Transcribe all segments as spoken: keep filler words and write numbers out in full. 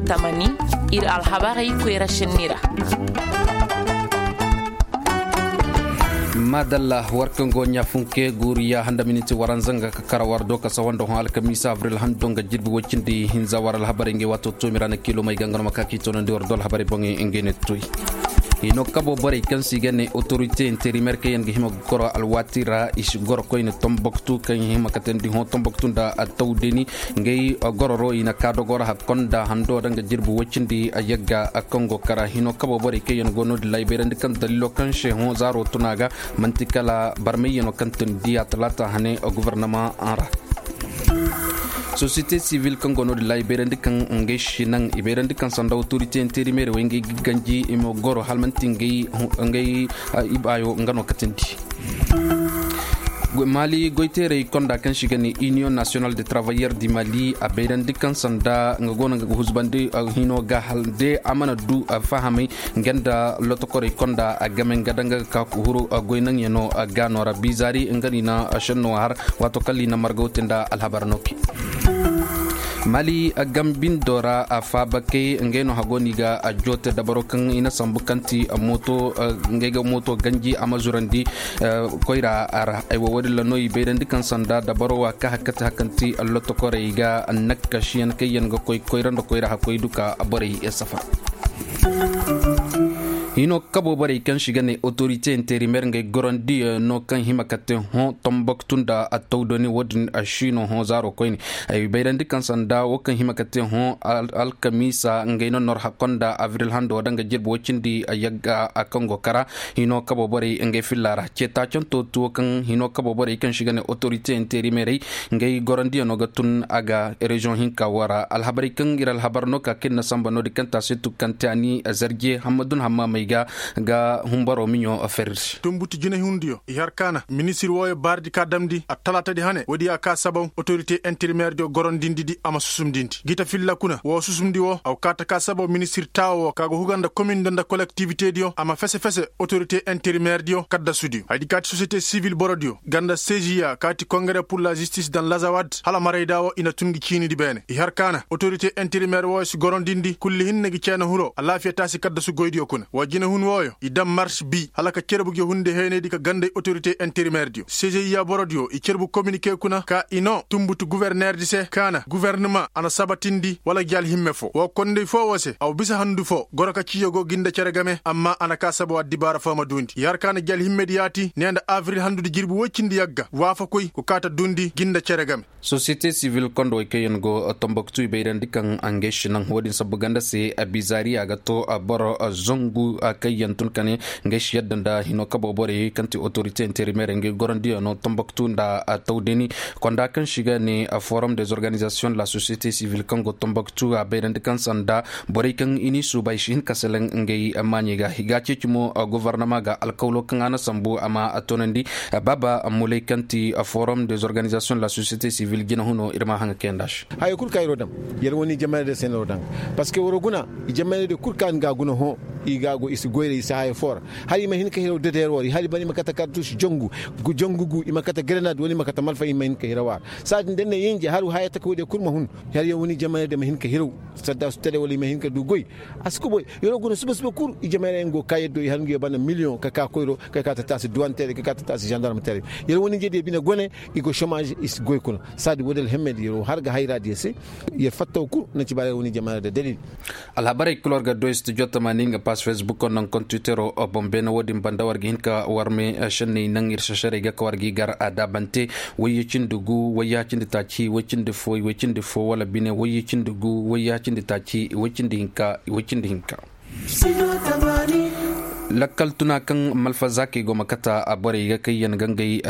Tamani, ir alhabarey koyra sinni ra. Maadalla, war kaŋ go ɲaafunke guuriya handa miniti waranza nga ka kara war do ka sawa nda hõ alkamiisa abril hando nga jirbi woy cindi hinza war alhabarey ngey waato toomi ra na kiilomey ga nga no ma ka k'i toonandi war do alhabarey boŋey ngey ne toy. Hino kabo borey kaŋ se i ga ne otorite interimeer kaŋ yaŋ ga hima ga goro alwaati ra i si goro koyne tomboktu kaŋ hima katandi hõ tomboktu nda attawdeni. Ngey gororo i na ka dogora hakkonda hando da nga jirbi woy cindi a yagga a kaŋ go kara hino kabo borey kaŋ yaŋ go no-din ra i bayrandi kaŋ dalilo kaŋ se hõ zaaro tuna ga man'ti kala barmayyaŋo kaŋ tun diya talaata hane gobornamaŋ ra. Sosiyete sivil kaŋ go no-din ra i bayrandi kaŋ ngey si naŋ i bayrandi kaŋ sanda otorite interimeer wey ngey ga ganji i ma goro hala man'ti ngey ibaayo nga no katandi. Mali goyteerey konda kaŋ se i ga ne iniyoŋ nasiyonal de travayyer di mali a bayrandi kaŋ sanda nga go no nga ga huzbandi hino ga hala de a mana du fahamay nga nda lotokorey konda a game nga danga ga ka kuhuru goy naŋyaŋo gaano ra bizaari nga no i na senno har waato kala i na marga wote nda alhabar no ke. Mali gambindo ra a faabakey ngey no hago no i ga joote dabaro kaŋ i na sambu kaŋ ti mooto ngey ga mooto ganji a ma zurandi koyra ra ay wo wo- din ra no i bayrandi kaŋ sanda dabaro wa ka hakkati hakanti lotokorey ga nakkasiyaŋ kaŋ yaŋ ga koy koyra nda koyra hakkoy duka borey safar. Hino kabo borey kaŋ se i ga ne otorite interimeer ngey gorandiyaŋo kaŋ hima ka te hõ tomboktu nda attawdoni wo- din a si no hõ zaaro koyne. Ay bayrandi kaŋ sanda wo kaŋ hima ka te hõ alkamiisa ngey no nor hakkonda abril hando da nga jirbi woy cindi yagga a kaŋ go kara. Hino kabo borey ngey filla ra ceetaacanto tuwo kaŋ hino kabo borey kaŋ se i ga ne otorite interimeerey ngey gorandiyaŋo ga tun a ga reziyoŋ hinka wo ra alhabarey kaŋ ir alhabar no ka kaŋ ir na samba no- din kaŋ taasi tukantaani zarje hammadun hammamey ga ga humbaro miɲo ferri se. Tunbuti jinahundiyo i har kaana ministir wooyo baaridi ka damndi attalaatadi hane woodi ya ka sabaw otorite interimeerdiyo gorondindidi a ma susumdindi gita filla kuna woo susumndi woo aw kaa ta ka sabaw ministir taawo woo ka go huga nda komindo nda kolektiwitediyo a ma fese fese otorite interimeerdiyo kaddasudiyo hayadi kaati sosiyete sivil borodiyo ganda seziya kaati kongere pur la zistis dan lazawad hala marayda woo i na tun gi ciinidi beene i har kaana otorite interimeer wooyo si gorondindi kulli hinne gi ceena huroo alaafiya taasi kaddasu goydiyo kuna wa jinahun wooyo i daŋ mars bii hala ka cerbu gi hunde heenaydi ka ganday otorite interimeerdiyo seziya borodiyo i cerbu kominike kuna ka i noo tunbutu guwerneerdi se kaana guwernemaŋ a na sabatindi wala gi alhimme foo woo konday foo woo se aw bisa handu foo goro ka ciiyo go gi nda cere game amma a na kaa saba wa dibaara foo ma duundi i har kaana gi alhimmedi yaati nee nda abril handudi jirbi woy cindi yagga waafakoy go kaa ta duundi gi nda cere game. Sosiyete sivil kondo wey kaŋ yaŋ go tomboktu i bayrandi kaŋ a ngey si naŋ wo- din sabbu ganda se bizaari a ga to boro zangu kaŋ yaŋ tun ka ne ngey si yadda nda hino kabo borey kaŋ ti otorite interimeer ngey gorandiyaŋo tomboktu nda tawdeni konda kaŋ se i ga ne forum des organizasiyoŋ de la sosiyete sivil kaŋ go tomboktu a bayrandi kaŋ sanda borey kaŋ i n'i suuba i si hin ka selaŋ ngey maaɲey ga i ga a ceeci mo gofornama ga alkawlo kaŋ a na sambu a ma a toonandi. Baaba muley kaŋ ti forum des organizasiyoŋ de la sosiyete sivil jinahuno ir ma a haŋa kayanda se. Haya kul kaŋ ir wo daŋ, yer wo ni jamaaney day se no ir wo daŋ. Parceque war wo guna, jamaaney day kul kaŋ ga a guna hõ, i ga a go i si goyra i si haya foo ra. Hala i ma hin ka hiraw dedeer wo ra hala i ma kate kartus jangu, jangu gu i ma kate garanaad wala i ma kate malfa i ma hin ka hiraw a ra. Saadin da ni na yinje hala haya taka woodiyo kul ma hun. Hala yer wo ni jamaaney day ma hin ka hiraw, saddaasu tele wala i ma hin ka du goy. A si kuboy, yer wo guna suba suba kul i jamaaney day nga go ka yaddo i har nga yo bana miliyoŋ ka ka koyro, ka ka ta taasi duwanteerey ka ka ta taasi zandarmteerey. Yer wo ni nje diyo bine gone, i go somaaž i si goy kuna. Saadi woodi alhemmey diyo yer wo har ga hayra diyo se. Yer fattaw kul na ci ba yer wo ni jamaaney day dalil. Alhabarey kul war ga du studio tamaani nga paas fesbukoo naŋ kontwitero boŋ beene wo-din banda war ga hin ka war me šenney naŋ ir sešerey ga ka war g'i gar a daabante. Wayye cindi gu wayye cindi taaci way cindi fo way cindi fo wala bine wayye cindi gu wayye cindi taaci way cindi hinka way cindi hinka. Lakkal tuna kaŋ malfa zaakey go ma kata borey ga kaŋ yaŋ ga ngey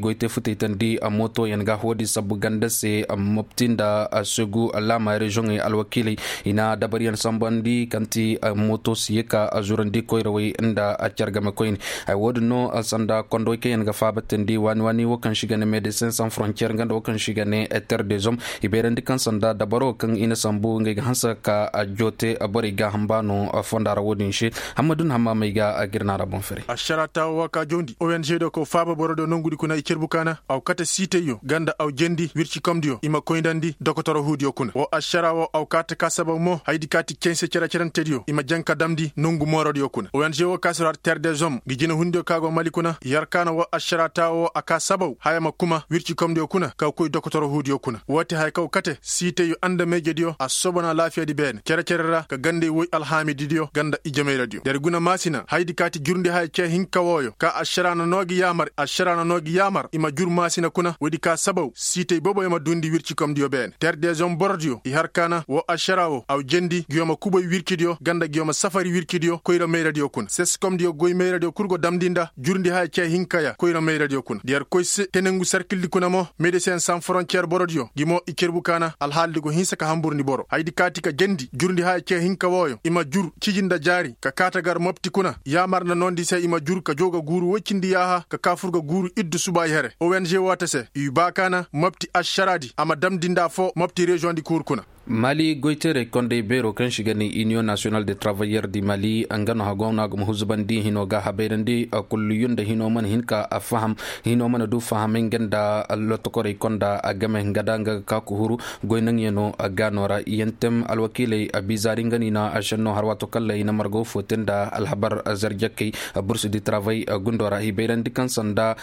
goy te futey tandi mootoyaŋ ga wo-din sabbu ganda se mopti nda segu laama reziyoŋey alwakiiley i na dabaryaŋ sambandi kaŋ ti mooto si ye ka zurandi koyrawey nda car game koyne. Ay wo-din no sanda kondowey kaŋ yaŋ ga faabatandi waani waani wo kaŋ se i ga ne medecin san frontier nga nda wo kaŋ se i ga ne eter dezom i bayrandi kaŋ sanda dabaro kaŋ i na sambu ngey ga hanse ka joote borey gaaham baano fonda ra wo-din se. Hammad Dun hammaamey ga a gir naara boŋ fere. Ašaraa taawo wa ka jawndi ong diyo ka faaba borodiyo nongudi kuna i cerbu kaana aw kate siitayyo ganda aw jendi wircikomdiyo i ma koynandi dokotoro huudiyo kuna woo ašaraa woo aw kaate ka sabaw mo haydi kaati cense cere-cerentediyo i ma jaŋ ka damndi nongu moorodiyo kuna ong woo ka si ra ter dezom ngi jinehundiyo ka go mali kuna i har kaana woo ašaraa taawo woo a ka sabaw haya ma kuma wircikomdiyo kuna ka koy dokotoro huudiyo kuna woo ti haya kaw kate siitayyo andameyjediyo a soobana laafiyadi beene cere-cere ra ka gandey woy alhaamididiyo ganda ijemayradiyo der guna maasina haydi kaati jurndi haya cee hinka wooyo ka ašaraa na noo gi yaamar ašaraa na noo gi yaamar i ma jur maasina kuna woodi ka sabaw siitey boboyo ma duundi wircikomdiyo beene ter dezom borodiyo i har kaana woo ašaraa woo aw jendi ngiyo ma kubay wircidiyo ganda ngiyo ma safari wircidiyo koyra mayradiyo kuna seskomdiyo goy mayradiyo kul go damndi nda jurndi haya cee hinkaya koyra mayradiyo kuna da yer koy se tenengu sarkildi kuna mo medesen san forontiyer borodiyo ngi mo i cerbu kaana alhaalidi go hinsa ka hamburndi boro haydi kaati ka jendi jurndi haya cee hinka wooyo i ma jur ciji nda jaari ka kaata gar mopti kuna yaamar nda noondi se i ma jur ka jow ga guuru woy cindi yaaha ka kaa fur ga guuru iddu subaayi here ong woo te se i baa kaana mopti ašaraadi a ma damndi nda foo mopti reziyoŋdi kuur kuna. Mali goyteerey kondey beeroo kaŋ se i ga ne iniyoŋ nasiyonal de travayyer di mali nga no haggoŋ no a ga ma huzubandi hinoo ga habayrandi. Kulliyu nda hinoo mana hin ka faham hinoo mana du fahamay nga nda lotokorey konda game nga da nga ga ka kuhuru goy naŋyanoo gaanoo ra yantem alwakiiley biizaari nga no i na ašennoo har waato kalla i na marga woo foo te nda alhabar zarjakey bursu di travay gundoo ra i bayrandi kaŋ sanda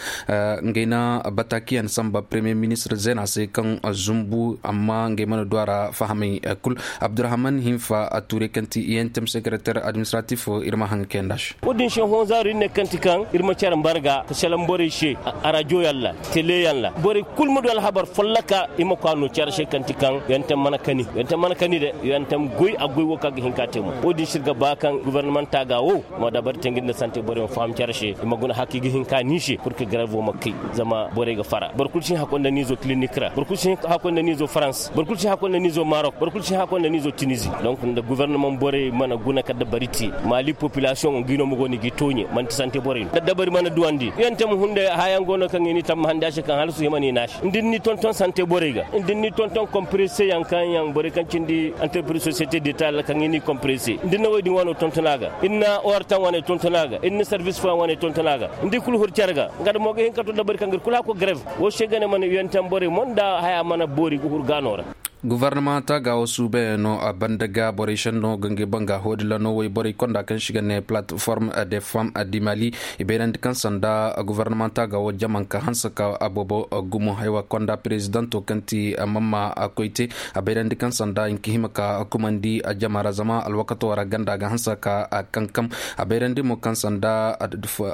ngey na bataakiyaŋ samba premiyer ministir zeena se kaŋ zumbu amma ngey mana du a ra fahamay kul. Abdurahman hinfa a tuure kaŋ ti iyentem sekereter administratif ir ma haŋ kayanda se. Wo- din se honzaaru ir ne kaŋ ti kaŋ ir ma care mbarga ka salaŋ borey se arajoyaŋ ra teleyaŋ ra borey kul ma du alhabar folloka i ma koy a no care se kaŋ ti kaŋ yonte mana kani yonte mana kani de yonte ma goy a goy wo kaŋ a ga hin ka te mo wo- din se ir ga ba kaŋ gofornamanta ga wo ma dabari te nga nda sante borey ma faham care se i ma guna haka i ga hin ka ni se pur ka garevo ma kay zama borey ga fara boro kulu si hin hakkoy nda niizo kilinik ra boro kulu si hin hakkoy nda niizo farans boro kulu si hin hakkoy nda niizo marok boro kulu si hin hakkoy nda niizo tinizi donk nda gofornamaŋ borey mana guna ka dabari te maali popilasiyoŋo ngi no ma go no i ga i tooɲe man'ti sante borey no da dabari mana duwandi yonte ma hunday hayaŋ go no kaŋ i n'i tammahandi a se kaŋ hala su hima no i naasi nda ir n'i tonton sante borey ga nda ir n'i tonton komprese yaŋ kaŋ yaŋ borey kaŋ cindi anterpiriz sosiyete deta ra kaŋ ir n'i komprese nda ir na woy din waano tonton a ga ir na ortaŋ waaney tonton a ga ir na sarbis fooyaŋ waaney tonton a ga nda ir kul huru care ga nga da mo ga hin ka to dabari kaŋ ga ir kul hako garev wo se ga ne mana uyentam borey mo nda haya mana boori ga huru gaano ra. Gofornamanta ga wo suubayaŋo banda ga borey senno ga ngey banga hoodilano woy borey konda kaŋ se i ga ne palatform de fam di mali i bayrandi kaŋ sanda gofornamanta ga wo jamanka hanse ka boobo gumo haywa konda perezidanto kaŋ ti mamma koyte a bayrandi kaŋ sanda hinka hima ka kumandi jama ra zama alwakato ra ganda ga hanse ka kankam a bayrandi mo kaŋ sanda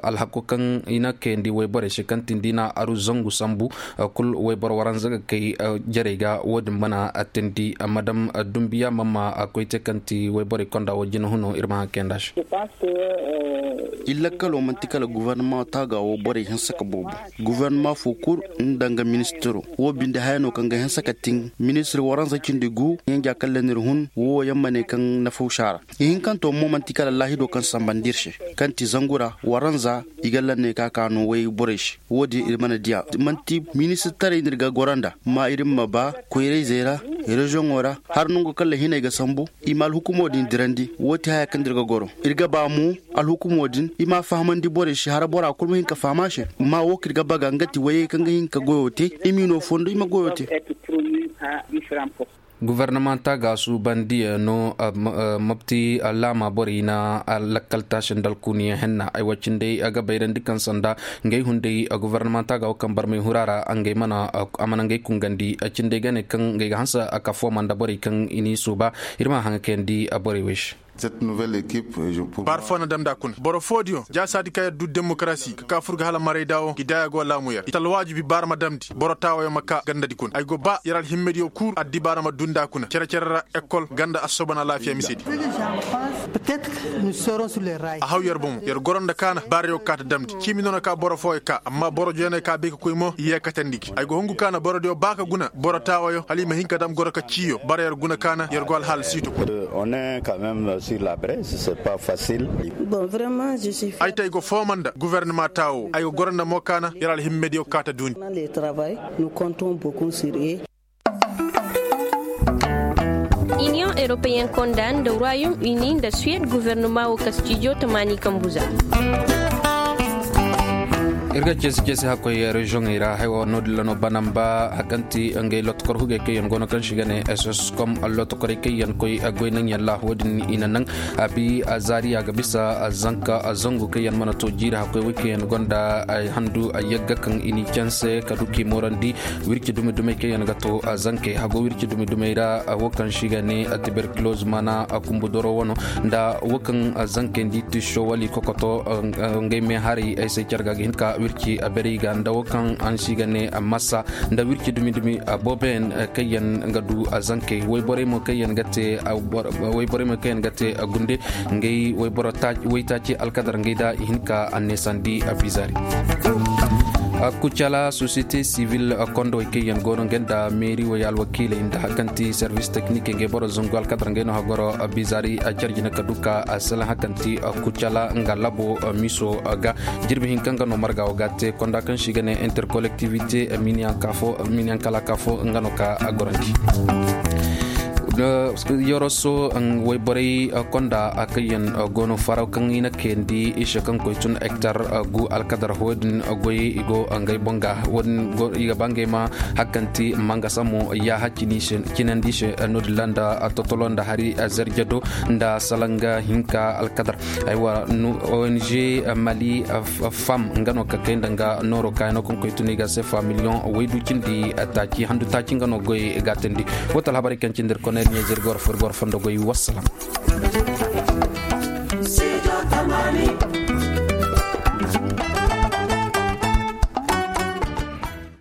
alhako kaŋ i na kayandi woy borey se kaŋ tindi na aru zangu sambu kul woyboro waranza ga kay jarey ga wo- din mana teendi madam dumbiya mamma koyte kaŋ ti woyborey konda wo jina huno ir ma haŋ kayanda se. Iri lakkalo man'ti kala gofornama taaga wo borey hinsa ka boobo gofornama fo kul nda nga ministiro wo binde haya no kaŋ ga hinsa ka tin ministir waranza cindi gu yanja kaŋ lanir hun wo yaŋ ma ne kaŋ nafaw saara ihinkanto mo man'ti kala laahido kaŋ sambandi ir se kaŋ ti zangu ra waranza i ga lanne ka ka no woy borey se wo- din ir mana diya man'ti ministirtaray no ir ga goro nda ma ir ma ba koyrayzey ra reziyoŋo ra har nango kaŋ lahiney ga sambu i ma alhukumo din dirandi wo- ti haya kaŋ nda ir ga goro ir ga ba mo alhukumo din i ma a fahamandi borey se har bora kul ma hin ka faham a se ma wo kaŋ ir ga baga nga ti woyey kaŋ ga hin ka goyo te i m'i no fondo i ma goyo te. Gofornamanta ga suubandiyaŋo mopti laama borey na lakkal taasi nda alkuuniyaŋ henna ay wo cindey a ga bayrandi kaŋ sanda ngey hunday gofornamanta ga wo kaŋ barmay hura ra ngey mana a mana ngey kungandi cindey ga ne kaŋ ngey ga hanse a ka fooma nda borey kaŋ i n'i suuba ir ma a haŋa kayandi borey wey se. Baara fo na damndi a kuna boro foodiyo jaasaadi kaŋ yer du demokarasi ka ka fur ga hala marayda wo ngi daayaa go laamu yer i talwaajibi baara ma damndi boro taawayo ma ka gandadi kuna ay go ba yer alhimmediyo kul addibaara ma duundi a kuna cere-cere ra ekol ganda assobon alaafiya misedi. A haw yer bomo yer goro nda kaana baarayo ga kaa ta damndi ciimi noona ka boro fooyo kaa amma boro jeeney ka bay ka koy mo i yeekatandi gi ay go hungu kaana borodiyo ba ka guna boro taawayo hala i ma hin ka dam goro ka ciiyo bara yer guna kaana yer go alhaala siito kuna. Ay te ay go fooma nda gofornama taawo ay go goro nda mo kaana yer alhimmediyo kaa ta duundi. Iniyoŋ Europeyen konda nda royaume uni nda suwed guvernoma wo ka stijo tamaani kambu za. Ir ga ceesi ceesi hakkoy reziyoŋey ra haywa no- din ra no banamba a kaŋ ti ngey lotokor hugey kaŋ yaŋ go no kaŋ se i ga ne ss com lotokorey kaŋ yaŋ koy goy naŋ yaŋ ra wo- din i na naŋ a bi a zaari a ga bisa a zanka a zangu kaŋ yaŋ mana to jiiri hakkoy wey kaŋ yaŋ gonda a handu a yagga kaŋ i n'i canse ka du k'i moorandi. Wirci dumi dumey kaŋ yaŋ ga to a zankey hago wirci dumi dumey ra wo kaŋ se i ga ne a tiberkiloz mana a kumbu doro wano nda wo kaŋ a zankey nda i tiso wala i kokoto. Ngey me haray ay se care ga ga hin ka wirci a berey ga nda wo kaŋ araŋ se i ga ne a masa nda wirci dumi dumi a booboyaŋ kaŋ yaŋ ga du a zankey wayborey mo kaŋ yaŋ ga te a gunde. Ngey wayboro waytaaci alkadar ngey da i hin ka a neesandi a bizaari. Kucala sosiyete sivil kondowey kaŋ yaŋ go no ngey nda meeri wey alwakiiley nda hari kaŋ ti servis teknik ngey boro zangu alkadar ngey no hagoro bizaari a care jina ka du ka a salaŋ hari kaŋ ti kucala nga labo miso ga jirbi hinka nga no marga wo ga te konda kaŋ se i ga ne interkolektivite miniyaŋ kala ka fo nga no ka a gorandi. Yoroso wayborey konda kaŋ yaŋ go no faraw kaŋ i na kayandi i se kaŋ koy tun hektar gu alkadar hoodin goyey i go ngey boŋ ga wo- din i ga ba ngey ma hari kaŋ ti mangasa mo yaaha cinandi se no- din ra nda totolo nda hari zarjado nda salanga hinka alkadar. Aywa, ong mali fam nga no ka kay nda nga nooro kaayano kaŋ koy tun i ga se fa miliyoŋ waydu cindi taaci handu taaci nga no goy gaatandi. Wo ti alhabarey kaŋ cindi ir koney ɲeeze ir ga war fo ir ga war fondo goy wassalam.